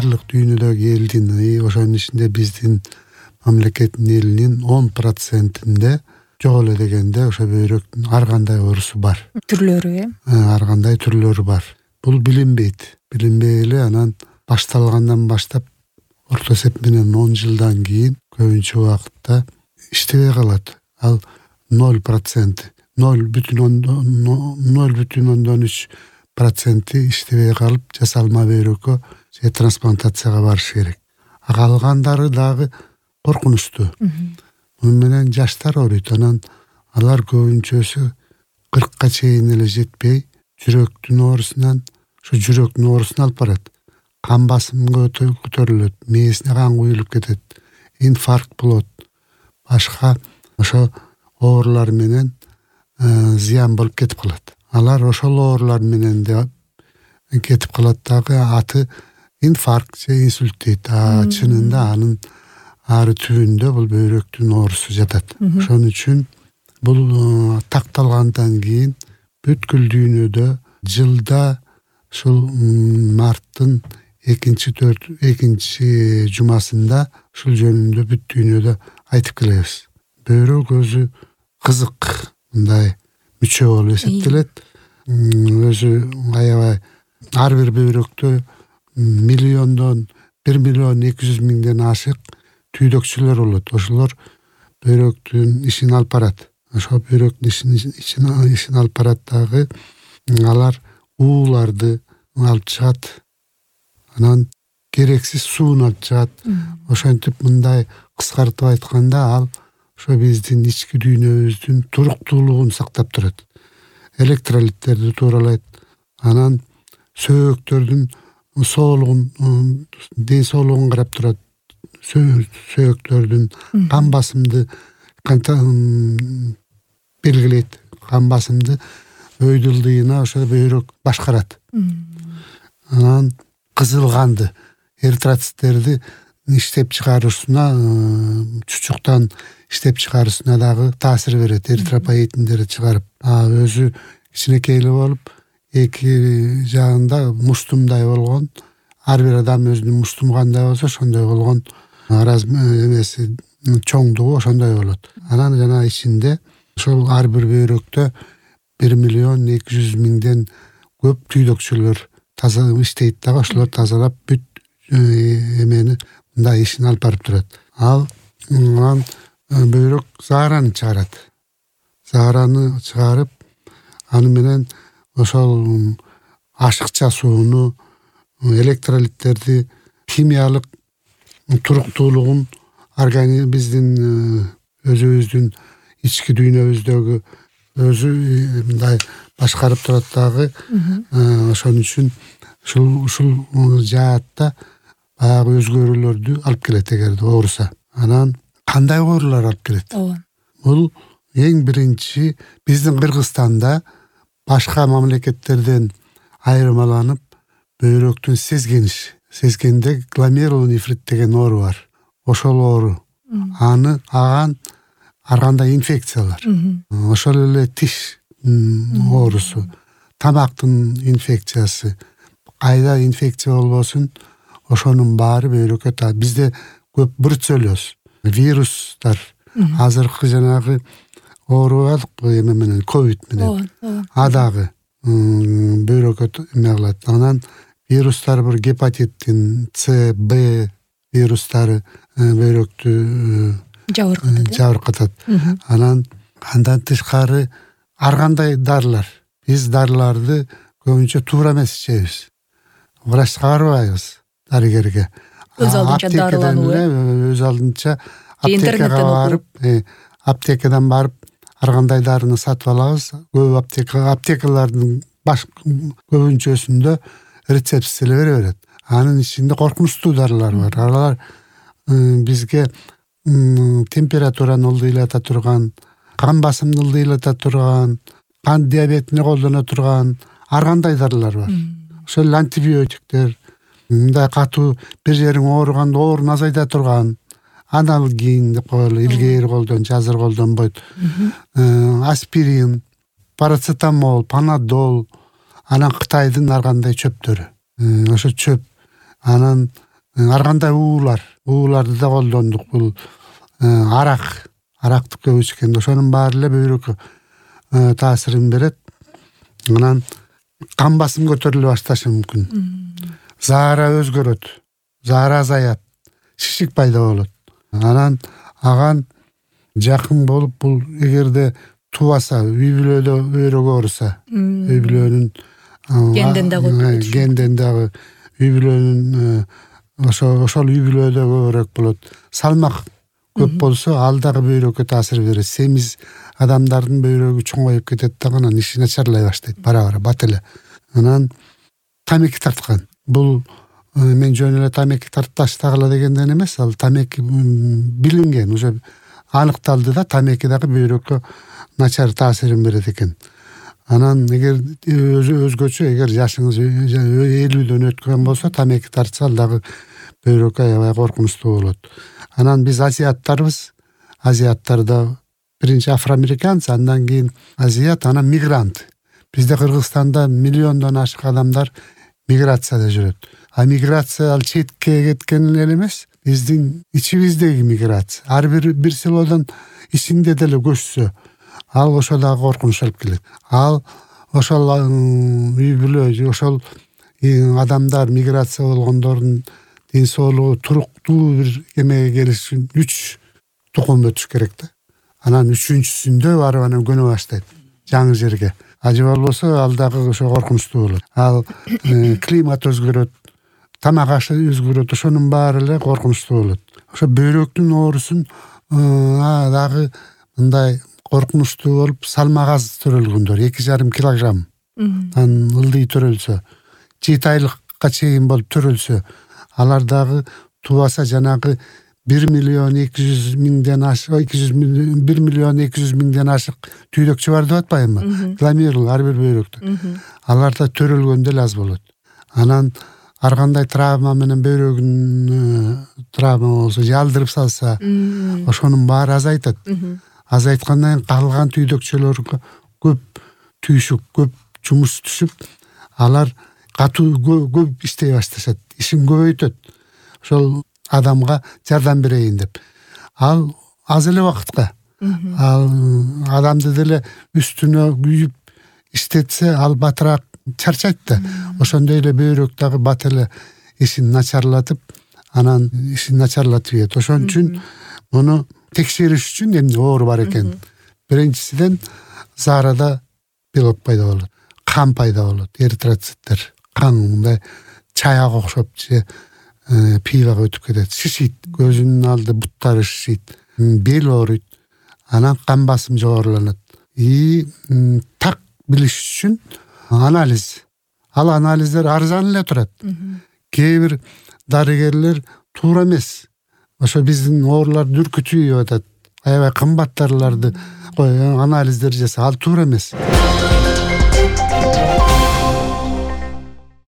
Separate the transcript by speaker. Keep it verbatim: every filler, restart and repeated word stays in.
Speaker 1: баардык дүйнөдөгү элдин, ошонун ичинде биздин мамлекеттин элинин он процентинде жок эле дегенде ошо бөйрөктүн ар кандай оорусу бар.
Speaker 2: Түрлөрү э?
Speaker 1: Ар кандай түрлөрү бар. Бул билинбейт. Билинбей эле анан башталгандан баштап орто эсеп менен он жылдан кийин көбүнчө убакытта иштебей калат. Ал ноль процент, ноль бүтүн ондон үч проценти иштебей калып жасалма бөйрөккө же трансплантацияга барыш керек. А калгандары дагы коркунучтуу. Муну менен жаштар ооруйт. Анан алар көбүнчөсү кыркка чейин эле жетпей жүрөктүн оорусунан, ошо жүрөктүн оорусуна алып барат. Кан басымы көтөрүлөт, мээсине кан куюлуп кетет, инфаркт болот, башка ошо оорулар менен зыян болуп кетип калат. Алар ошол оорулар менен да кетип калат дагы, аты инфаркт же инсульт дейт. А чынында анын ары түбүндө бул бөйрөктүн оорусу жатат. Ошон үчүн бул такталгандан кийин бүткүл дүйнөдө жылда ушул марттын экинчи төрт экинчи жумасында ушул жөнүндө бүт дүйнөдө айтып келебиз. Бөйрөк өзү кызык мындай мүчө болуп эсептелет. Өзү аябай ар бир бөйрөктө миллиондон бир миллион эки жүз миңден ашык түйдөкчүлөр болот. Ошолор бөйрөктүн ишин алып барат. Ошо бөйрөктүн ишин ишин алып барат дагы. Алар ууларды алып чыгат. Анан керексиз сууну алып чыгат. Ошентип мындай кыскартып айтканда ал ошо биздин ички дүйнөбүздүн туруктуулугун сактап турат. Электролиттерди тууралайт. Анан сөөктөрдүн соолугун, ден соолугун карап турат. Сөөктөрдүн кан басымды белгилейт. Кан басымды өйдө ылдыйына ошо бөйрөк башкарат. Анан кызыл канды, эритроциттерди иштеп чыгарышына, чучуктан иштеп чыгарышына дагы таасир берет. Эритропоетиндерди чыгарып, а өзү кичинекей эле болуп, эки жагында муштумдай болгон, ар бир адам өзүнүн муштуму кандай болсо ошондой болгон эмеси чоңдугу ошондой болот. Анан жана ичинде ошол ар бир бөйрөктө бир миллион эки жүз миңден көп түйдөкчүлөр таза иштейт дагы, ошолор тазалап бүт эмени мындай ишин алып барып турат. Ал анан бөйрөк заараны чыгарат. Заараны чыгарып, аны менен ошол ашыкча сууну, электролиттерди, химиялык туруктуулугун организм биздин өзүбүздүн ички дүйнөбүздөгү өзү мындай башкарып турат дагы. Ошон үчүн ушул ушул жаатта баягы өзгөрүүлөрдү алып келет эгерде ооруса. Анан кандай оорулар алып келет? Бул эң биринчи биздин Кыргызстанда башка мамлекеттерден айырмаланып бөйрөктүн сезгениши. Сезгенде гломерулонефрит деген оору бар. Ошол оору. Аны аган ар кандай инфекциялар. Ошол эле тиш оорусу, тамактын инфекциясы, кайда инфекция болбосун, ошонун баары бөйрөккө та. Бизде көп бруцеллез, вирустар, азыркы жанагы оору бар эме менен, ковид менен. А дагы бөйрөккө эме кылат. Анан вирустар бир гепатиттин С, Б вирустары бөйрөктү жабыркатат. Анан андан тышкары ар кандай дарылар. Биз дарыларды көбүнчө туура эмес ичебиз. Врачка барбайбыз, дарыгерге.
Speaker 2: Өз алдынча дарылануу.
Speaker 1: Өз алдынча аптекага барып, аптекадан барып ар кандай дарыны сатып алабыз. Көп аптека аптекалардын баш көбүнчөсүндө рецептсиз эле бере берет. Анын ичинде коркунучтуу дарылар бар. Алар бизге температураны ылдыйлата турган, кан басымды ылдыйлата турган, кан диабетине колдоно турган ар кандай дарылар бар. Ошол антибиотиктер, мындай катуу бир жериң ооруганда ооруну азайта турган аналгин деп коелу, илгейир колдон, азыр колдонбойт. Аспирин, парацетамол, панадол, анан Кытайдын ар кандай чөптөрү. Ошо чөп. Анан ар кандай уулар ууларды да колдондук. Бул арак аракты көп ичкенде ошонун баары эле бөйрөккө таасирин берет. Анан кан басым көтөрүлө башташы мүмкүн. Заара өзгөрөт, заара азаят, шишик пайда болот. Анан аган жакын болуп, бул эгерде тубаса, үй бүлөдө өйрөгө ооруса, үй бүлөнүн
Speaker 2: генден дагы
Speaker 1: генден дагы үй бүлөнүн ошо ошол үй бүлөдө көбүрөөк болот. Салмак көп болсо, ал дагы бөйрөккө таасир берет. Семиз адамдардын бөйрөгү чоңоюп кетет дагы, анан иши начарлай баштайт бара-бара бат эле. Анан тамеки тарткан. Бул мен жөн эле тамеки тартпаштагыла дегенден эмес, ал тамеки билинген, уже аныкталды да, тамеки дагы бөйрөккө начар таасирин берет экен. Анан эгер өзгөчө, эгер жашыңыз элүүдөн өткөн болсо, тамеки тартса, ал дагы бөйрөккө аябай коркунучтуу болот. Анан биз азиаттарбыз. Азиаттарда биринчи афроамериканец, андан кийин азиат, анан мигрант. Бизде Кыргызстанда миллиондон ашык адамдар миграцияда жүрөт. А миграция ал четке кеткен эле эмес, биздин ичибиздеги миграция. Ар бир бир селодон ичинде деле көчсө, ал ошо дагы коркунуч алып келет. Ал ошол үй бүлө, ошол адамдар, миграция болгондордун ден соолугу туруктуу бир эмеге келиш үчүн үч тукум өтүш керек да. Анан үчүнчүсүндө барып анан көнө баштайт жаңы жерге. Ажы болбосо, ал дагы ошо коркунучтуу болот. Ал климат өзгөрөт, тамак ашы өзгөрөт, ошонун баары эле коркунучтуу болот. Ошо бөйрөктүн оорусун дагы мындай коркунучтуу болуп, салмак аз төрөлгөндөр, эки жарым килограмм анан ылдый төрөлсө, жети айлыкка чейин болуп төрөлсө, алар дагы тубаса жанагы бир миллион эки жүз миңден ашык, эки жүз бир миллион эки жүз миңден ашык түйдөкчү бар деп атпаймынбы? Гломерул ар бир бөйрөктө. Аларда төрөлгөндө эле аз болот. Анан ар кандай травма менен бөйрөгүн травма болсо, жалдырып салса, ошонун баары азайтат. Азайткандан кийин калган түйдөкчөлөргө көп түйшүк, көп жумуш түшүп, алар катуу көп иштей башташат, ишин көбөйтөт. Ошол адамга жардам берейин деп. Ал аз эле убакытка. Ал адамды деле үстүнө күйүп иштетсе, ал батыраак чарчайт да. Ошондой эле бөйрөк дагы бат эле ишин начарлатып, анан ишин начарлатып ийет. Ошон үчүн муну текшериш үчүн эмне оору бар экен. Биринчисиден заарада белок пайда болот, кан пайда болот, эритроциттер, кан мындай чаяк окшоп же пивага өтүп кетет, шишийт, көзүнүн алды буттары шишийт, бел ооруйт, анан кан басым жогоруланат. И так билиш үчүн анализ. Ал анализдер арзан эле турат. Кээ бир дарыгерлер туура эмес, ошо биздин оорулар дүркүтүү деп атат, аябай кымбат дарыларды анализдер жаса, ал туура эмес.